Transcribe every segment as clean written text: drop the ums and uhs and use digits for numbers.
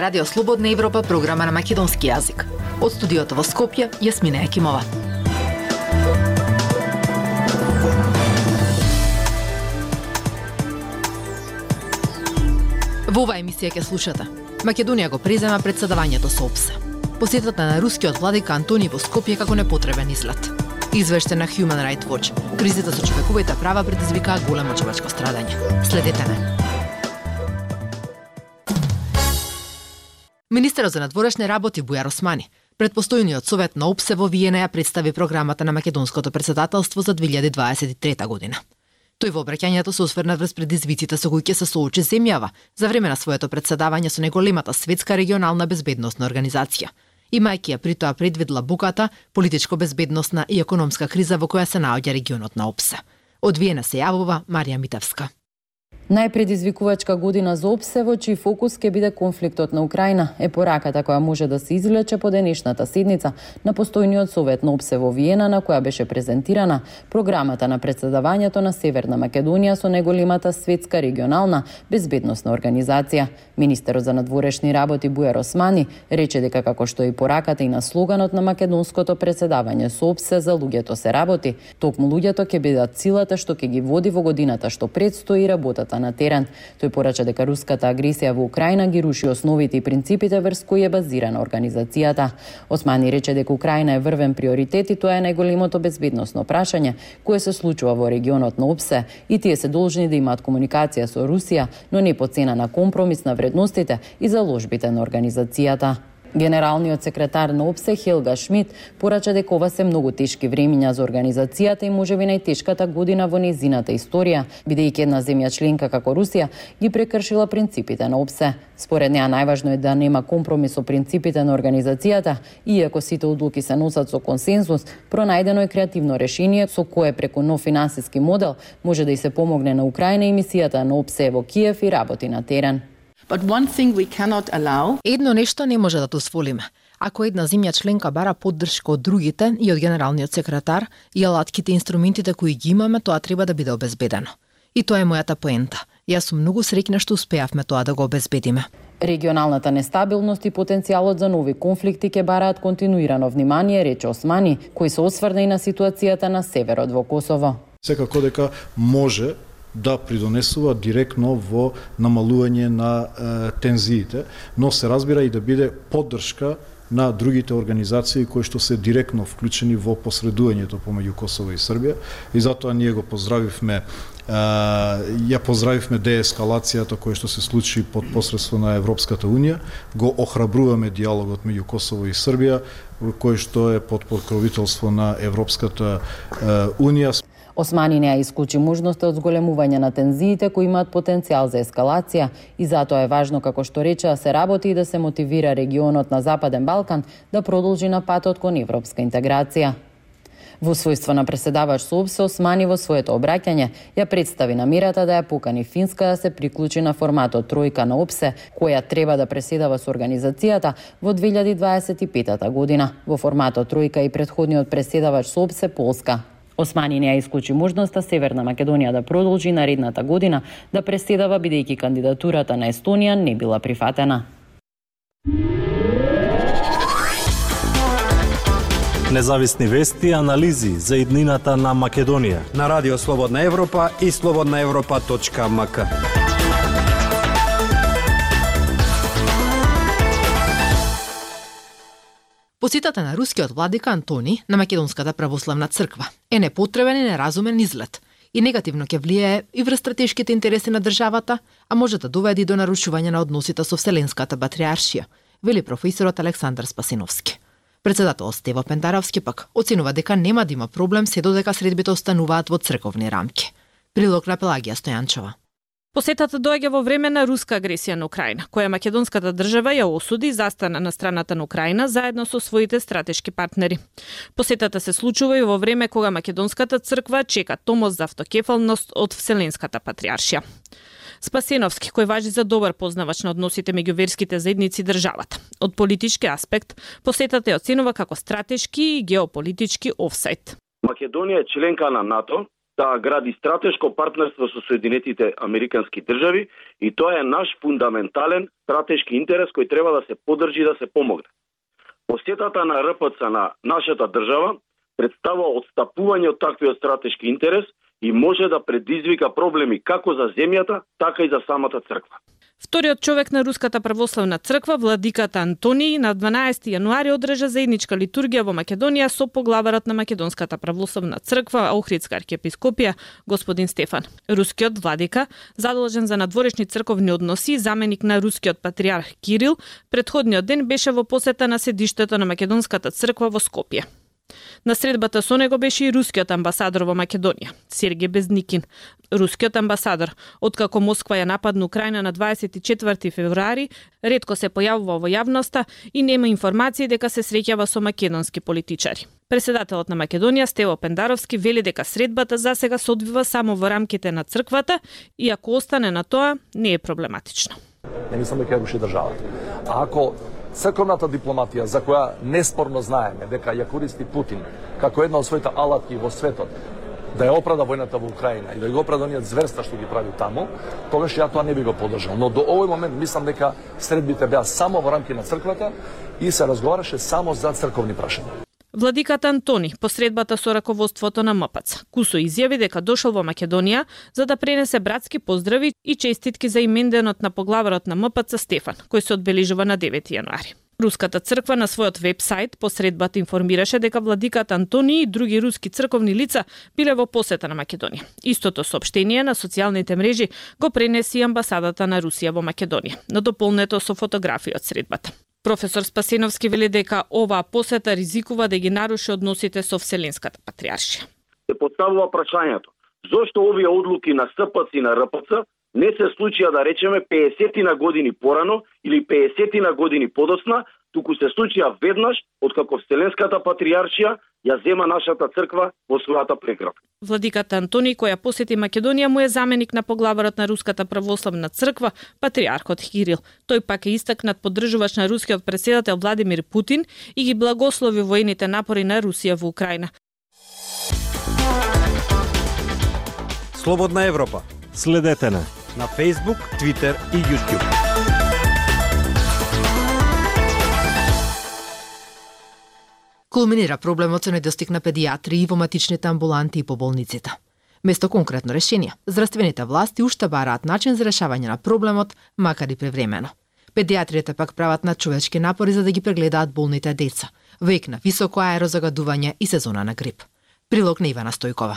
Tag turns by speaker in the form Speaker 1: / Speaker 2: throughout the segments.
Speaker 1: Радио Слободна Европа, програма на македонски јазик. Од студиото во Скопје, Јасмина Екимова. Во оваа емисија ќе слушате. Македонија го презема претседавањето со ОПСЕ. Посетата на рускиот владика Антони во Скопје како непотребен излет. Извештај на Human Rights Watch. Кризата со човековите права предизвикаа големо човечко страдање. Следете не. Министерот за надворешни работи Бујар Османи пред постојниот совет на ОПСЕ во Виена ја представи програмата на македонското претседателство за 2023 година. Тој во обраќањето се осврна врз предизвиците со кои ќе се соочи земјава за време на своето претседавање со неголемата светска регионална безбедносна организација, имајќи ја при тоа предвид длабоката политичко-безбедносна и економска криза во која се наоѓа регионот на ОПСЕ. Од Виена се јавува Марија Митевска.
Speaker 2: Најпредизвикувачка година за ОПСЕ во чиј фокус ќе биде конфликтот на Украина е пораката која може да се извлече по денешната седница на постојниот совет на ОПСЕ во Виена, на која беше презентирана програмата на претседавањето на Северна Македонија со неголемата светска регионална безбедносна организација. Министерот за надворешни работи Бујар Османи рече дека како што и пораката и на слоганот на македонското претседавање со ОПСЕ за луѓето се работи, токму луѓето ќе бидат силата што ќе ги води во годината што предстои работата на терен. Тој порача дека руската агресија во Украина ги руши основите и принципите врз кои е базирана организацијата. Османи рече дека Украина е врвен приоритет и тоа е најголемото безбедносно прашање кое се случува во регионот на ОПСЕ и тие се должни да имаат комуникација со Русија, но не по цена на компромис на вредностите и заложбите на организацијата. Генералниот секретар на ОПСЕ Хелга Шмид порача дека ова се многу тешки времиња за организацијата и можеби најтешката година во нејзината историја, бидејќи една земја членка како Русија ги прекршила принципите на ОПСЕ. Според неа најважно е да нема компромис со принципите на организацијата, иако сите одлуки се носат со консензус, пронајдено е креативно решение со кое преку нов финансиски модел може да и се помогне на Украина и мисијата на ОПСЕ во Киев и работи на терен.
Speaker 1: Едно нешто не може да дозволиме. Ако една земја членка бара поддршка од другите и од генералниот секретар и алатките и инструментите кои ги имаме, тоа треба да биде обезбедено. И тоа е мојата поента. Јас сум многу среќна што успеавме тоа да го обезбедиме.
Speaker 2: Регионалната нестабилност и потенцијалот за нови конфликти ќе бараат континуирано внимание, рече Османи, кој се осврна и на ситуацијата на северот во Косово.
Speaker 3: Секако дека може да придонесува директно во намалување на тензиите, но се разбира и да биде поддршка на другите организации кои што се директно вклучени во посредувањето помеѓу Косово и Србија, и затоа ние го поздравивме деескалацијата која што се случи под посредство на Европската Унија, го охрабруваме диалогот меѓу Косово и Србија, кој што е под покровителство на Европската Унија.
Speaker 2: Османи не ја исклучи можноста од зголемување на тензиите кои имаат потенцијал за ескалација и затоа е важно, како што рече, да се работи и да се мотивира регионот на Западен Балкан да продолжи на патот кон европска интеграција. Во својство на преседавач со ОПСЕ, Османи во своето обраќање ја представи намерата да ја покани Финска да се приклучи на форматот тројка на ОПСЕ, која треба да преседава со организацијата во 2025 година. Во форматот тројка и претходниот преседавач со ОПСЕ Полска. Османи не ја исклучи можноста Северна Македонија да продолжи наредната година да преседава, бидејќи кандидатурата на Естонија не била прифатена.
Speaker 4: Независни вести и анализи за иднината на Македонија
Speaker 5: на Радио Слободна Европа и slobodnaevropa.mk.
Speaker 1: Посетата на рускиот владика Антони на Македонската православна црква е непотребен и неразумен излет и негативно ќе влијае и врз стратешките интереси на државата, а може да доведе до нарушување на односите со Вселенската патриаршија, вели професорот Александар Спасиновски. Председателот Стево Пендаровски пак оценува дека нема да има проблем се додека средбите остануваат во црковни рамки. Прилог на Пелагија Стојанчова.
Speaker 6: Посетата доаѓа во време на руска агресија на Украина, која македонската држава ја осуди и застана на страната на Украина заедно со своите стратешки партнери. Посетата се случува и во време кога македонската црква чека томос за автокефалност од Вселенската патриаршија. Спасеновски, кој важи за добар познавач на односите меѓу верските заедници и државата. Од политички аспект, посетата ја оценува како стратешки и геополитички офсайд.
Speaker 7: Македонија е членка на НАТО да гради стратешко партнерство со Соединетите Американски држави и тоа е наш фундаментален стратешки интерес кој треба да се поддржи и да се помогне. Посетата на РПЦ на нашата држава представува отстапување од таквиот стратешки интерес и може да предизвика проблеми како за земјата, така и за самата црква.
Speaker 6: Вториот човек на Руската православна црква, владиката Антонии, на 12 јануари одржа заедничка литургија во Македонија со поглаварот на Македонската православна црква, Охридска архиепископија, господин Стефан. Рускиот владика, задолжен за надворешни црковни односи, заменик на рускиот патриарх Кирил, претходниот ден беше во посета на седиштето на Македонската црква во Скопје. На средбата со него беше и рускиот амбасадор во Македонија, Сергеј Безникин. Рускиот амбасадор, откако Москва ја нападна Украина на 24 февруари, ретко се појавува во јавноста и нема информации дека се среќава со македонски политичари. Председателот на Македонија, Стево Пендаровски, вели дека средбата засега се одвива само во рамките на црквата и ако остане на тоа, не е проблематично.
Speaker 8: Не мислам дека ја руши државата. А ако црковната дипломатија, за која неспорно знаеме дека ја користи Путин како една од своите алатки во светот, да ја оправда војната во Украина и да го оправда оние зверства што ги прави таму, тогаш ја тоа не би го поддржал. Но до овој момент мислам дека средбите беа само во рамки на црквата и се разговараше само за црковни прашања.
Speaker 6: Владиката Антони, посредбата со раководството на МПЦ, кусо изјави дека дошол во Македонија за да пренесе братски поздрави и честитки за именденот на поглаварот на МПЦ Стефан, кој се одбележува на 9 јануари. Руската црква на својот вебсайт посредбата информираше дека владиката Антони и други руски црковни лица биле во посета на Македонија. Истото соопштение на социјалните мрежи го пренеси и амбасадата на Русија во Македонија, надополнето со фотографии од средбата. Професор Спасеновски вели дека оваа посета ризикува да ги наруши односите со Вселенската патриаршија.
Speaker 7: Се поставува прашањето: зошто овие одлуки на СПЦ и на РПЦ не се случија, да речеме, 50 на години порано или 50 на години подоцна, туку се случија веднаш откако Вселенската патриаршија ја зема нашата црква во својата преград.
Speaker 6: Владиката Антони, која посети Македонија, му е заменик на поглаварот на Руската православна црква, патриархот Кирил. Тој пак е истакнат поддржувач на рускиот претседател Владимир Путин и ги благослови воените напори на Русија во Украина.
Speaker 5: Слободна Европа.
Speaker 4: Следете на
Speaker 5: Facebook, Twitter и YouTube.
Speaker 1: Кулминира проблемот со недостиг на педиатри и во матичните амбуланти и по болниците. Место конкретно решение, здравствените власти уште бараат начин за решавање на проблемот, макар и превремено. Педиатриите пак прават надчовечки напори за да ги прегледаат болните деца, век на високо аерозагадување и сезона на грип. Прилог на Ивана Стојкова.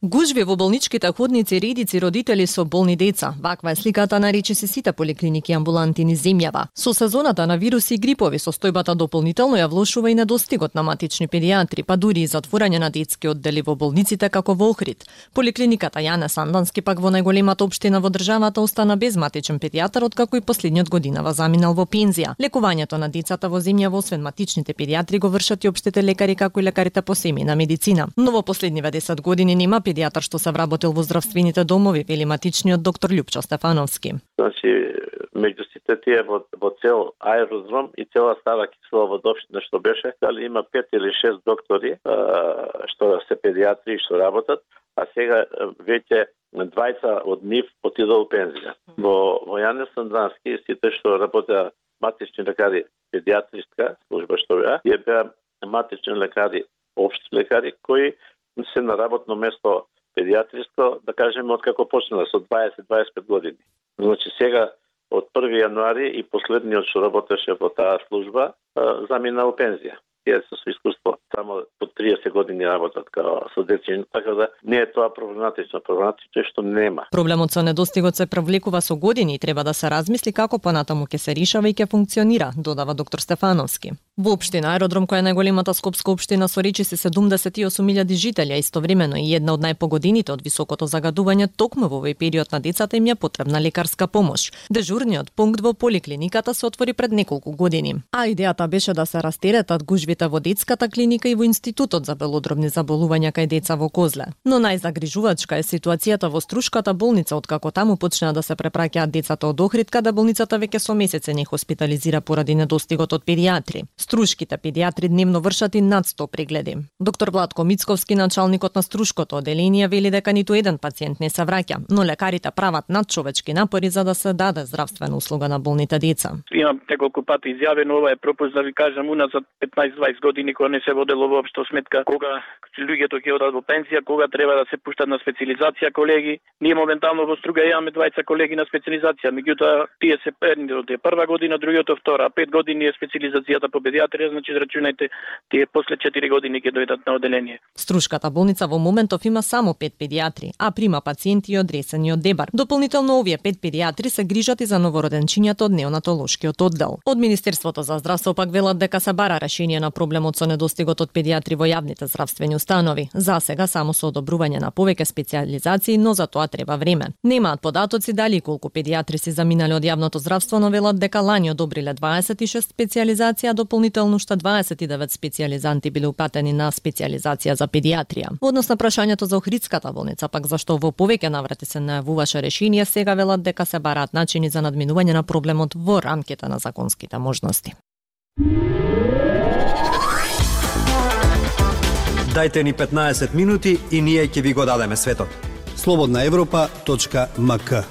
Speaker 9: Гужви во болничките ходници, редици родители со болни деца. Ваква е сликата на речиси сите поликлиники и амбуланти низ земјава. Со сезоната на вируси и грипови состојбата дополнително ја влошува и недостигот на матични педиатри, па дури и затворање на детски оддели во болниците како во Охрид. Поликлиниката Јане Сандански пак во најголемата општина во државата остана без матичен педијатар откако и последниот годинава заминал во пензија. Лекувањето на децата во земјава освен матичните педиатри го вршат и општите лекари како и лекарите по семејна медицина. Но во последниве 10 години нема педијатар што се вработил во здравствените домови, вели матичниот доктор Љупчо Стефановски.
Speaker 10: Значи, меѓу сите тие во цел аеродром и цела Стара Киселоводопштина што беше, дали има 5 или 6 доктори што се педиатри што работат, а сега веќе 20 од нив отидоа во пензија. Во Јане Сандански сите што работеа матични лекари, педиатриска служба што беа матични лекари, општи лекари кои се на работно место педиатриско, да кажеме, откако почнала со 20-25 години. Значи сега од 1 јануари и последниот што работеше во таа служба замина во пензија. Тие со искуство само по 30 години работат као со дечиња, така да не е тоа проблематично. Проблематично е што нема.
Speaker 9: Проблемот со недостигот се провлекува со години и треба да се размисли како понатаму ќе се решава и ќе функционира, додава доктор Стефановски. Во општина Аеродром, која е најголемата скопска општина со речиси 78.000 жители, а истовремено и една од најпогодените од високото загадување, токму во овој период на децата им е потребна лекарска помош. Дежурниот пункт во поликлиниката се отвори пред неколку години, а идејата беше да се растеретат гужвите докторите во детската клиника и во Институтот за белодробни заболувања кај деца во Козле. Но најзагрижувачка е ситуацијата во Струшката болница, откако таму почнаа да се препраќаат децата од Охридка, да болницата веќе со месеци не хоспитализира поради недостигот од педиатри. Струшките педиатри дневно вршат и над 100 прегледи. Доктор Владко Мицковски, началникот на Струшкото одделение, вели дека ниту еден пациент не се враќа, но лекарите прават надчовечки напори за да се даде здравствена услуга на болните деца.
Speaker 11: Имам неколку пати изјавено, ова е пропуст да ви кажам, уназад 15-20 години кога не се водело воопшто сметка кога луѓето ќе одат во пензија, кога треба да се пуштат на специализација колеги. Ние моментално во Струга имаме 20 колеги на специализација, меѓутоа тие се едниот е прва година, другиот е втора, 5 години е специализацијата по педиатрија, значи рачунајте тие после 4 години ќе дојдат на одделение.
Speaker 9: Струшката болница во моментов има само 5 педиатри, а прима пациенти од Ресен и од Дебар. Дополнително овие 5 педиатри се грижат и за новороденчињата од неонатолошкиот оддел. Од Министерството за здравство пак велат дека се бара решение на проблемот со недостигот од педиатри во јавните здравствени установи. За сега само со одобрување на повеќе специализации, но за тоа треба време. Немаат податоци дали колку педиатри се заминале од јавното здравство, но велат дека лани одобриле 26 специализација, дополнително уште 29 специализанти биле упатени на специализација за педиатрија. Однос на прашањето за Охридската болница, пак зашто во повеќе наврати се најавуваше решение, сега велат дека се бараат начини за надминување на проблемот во рамките на законските можности.
Speaker 5: Дајте ни 15 минути и ние ќе ви го дадеме светот.
Speaker 12: slobodnaevropa.mk.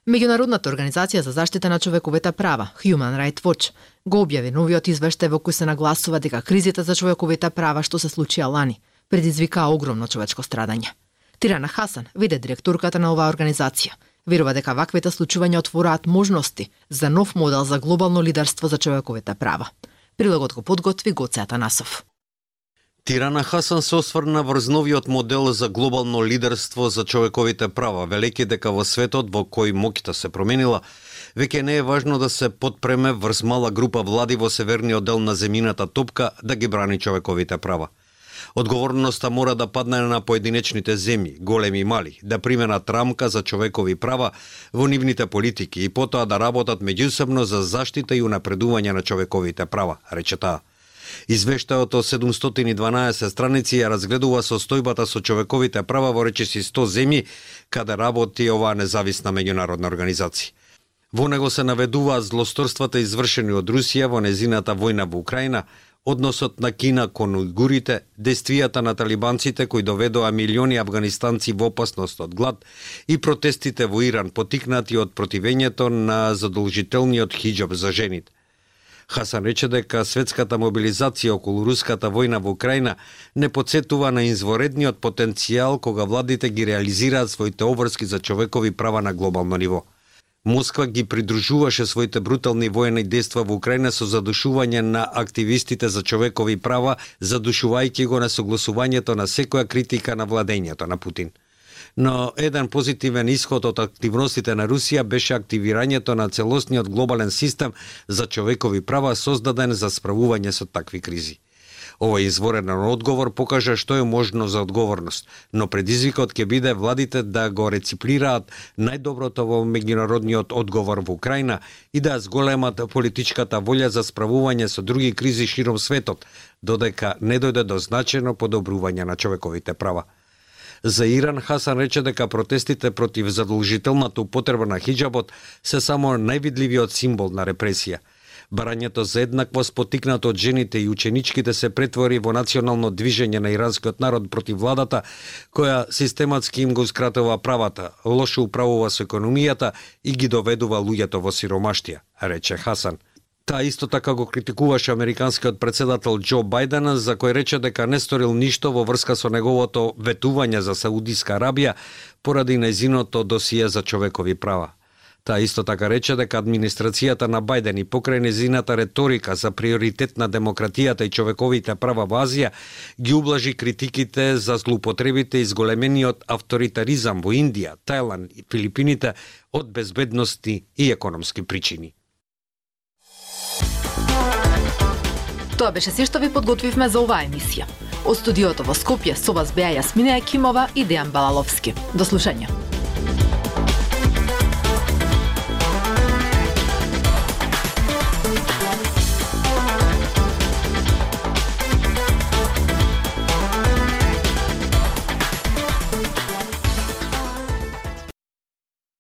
Speaker 1: Меѓународната организација за заштита на човековите права, Human Rights Watch, го објави новиот извештај во кој се нагласува дека кризите за човековите права што се случија лани предизвикаа огромно човечко страдање. Тирана Хасан, виде директорката на оваа организација, верува дека ваквите случувања отвораат можности за нов модел за глобално лидерство за човековите права. Прилогот го подготви Гоце Атанасов.
Speaker 13: Тирана Хасан се осврна врз новиот модел за глобално лидерство за човековите права, велејќи дека во светот во кој моќта се променила, веќе не е важно да се подпреме врз мала група влади во северниот дел на земјината топка да ги брани човековите права. Одговорноста мора да падне на поединечните земји, големи и мали, да применат рамка за човекови права во нивните политики и потоа да работат меѓусебно за заштита и унапредување на човековите права, рече таа. Извештајот од 712 страници ја разгледува состојбата со човековите права во речиси 100 земји каде работи оваа независна меѓународна организација. Во него се наведуваат злосторствата извршени од Русија во незината војна во Украина, односот на Кина кон ујгурите, действијата на талибанците кои доведоа милиони афганистанци во опасност од глад и протестите во Иран потикнати од противењето на задолжителниот хиџаб за жените. Хасан рече дека светската мобилизација околу руската војна во Украина не подсетува на изворедниот потенцијал кога владите ги реализираат своите обврски за човекови права на глобално ниво. Москва ги придружуваше своите брутални воени дејства во Украина со задушување на активистите за човекови права, задушувајќи го на согласувањето на секоја критика на владењето на Путин. Но еден позитивен исход од активностите на Русија беше активирањето на целосниот глобален систем за човекови права создаден за справување со такви кризи. Овој изворен одговор покажа што е можно за одговорност, но предизвикот ќе биде владите да го рециплираат најдоброто во меѓународниот одговор во Украина и да зголемат политичката волја за справување со други кризи широм светот, додека не дојде до значајно подобрување на човековите права. За Иран Хасан рече дека протестите против задолжителната употреба на хиџабот се само највидливиот символ на репресија. Барањето за еднаквост потикнато од жените и ученичките се претвори во национално движење на иранскиот народ против владата, која систематски им гоускратува правата, лошо управува со економијата и ги доведува луѓето во сиромаштија, рече Хасан. Таа исто така го критикуваше американскиот претседател Џо Бајден, за кој рече дека не сторил ништо во врска со неговото ветување за Саудиска Арабија поради нејзиното досие за човекови права. Таа исто така рече дека администрацијата на Бајден и покрај нејзината реторика за приоритет на демократијата и човековите права во Азија ги ублажи критиките за злоупотребите и зголемениот авторитаризам во Индија, Тајланд и Филипините од безбедности и економски причини.
Speaker 1: Тоа беше се што ви подготвивме за оваа емисија. Од студиото во Скопје со вас беа Јасмина Екимова и Дејан Балаловски. До слушање.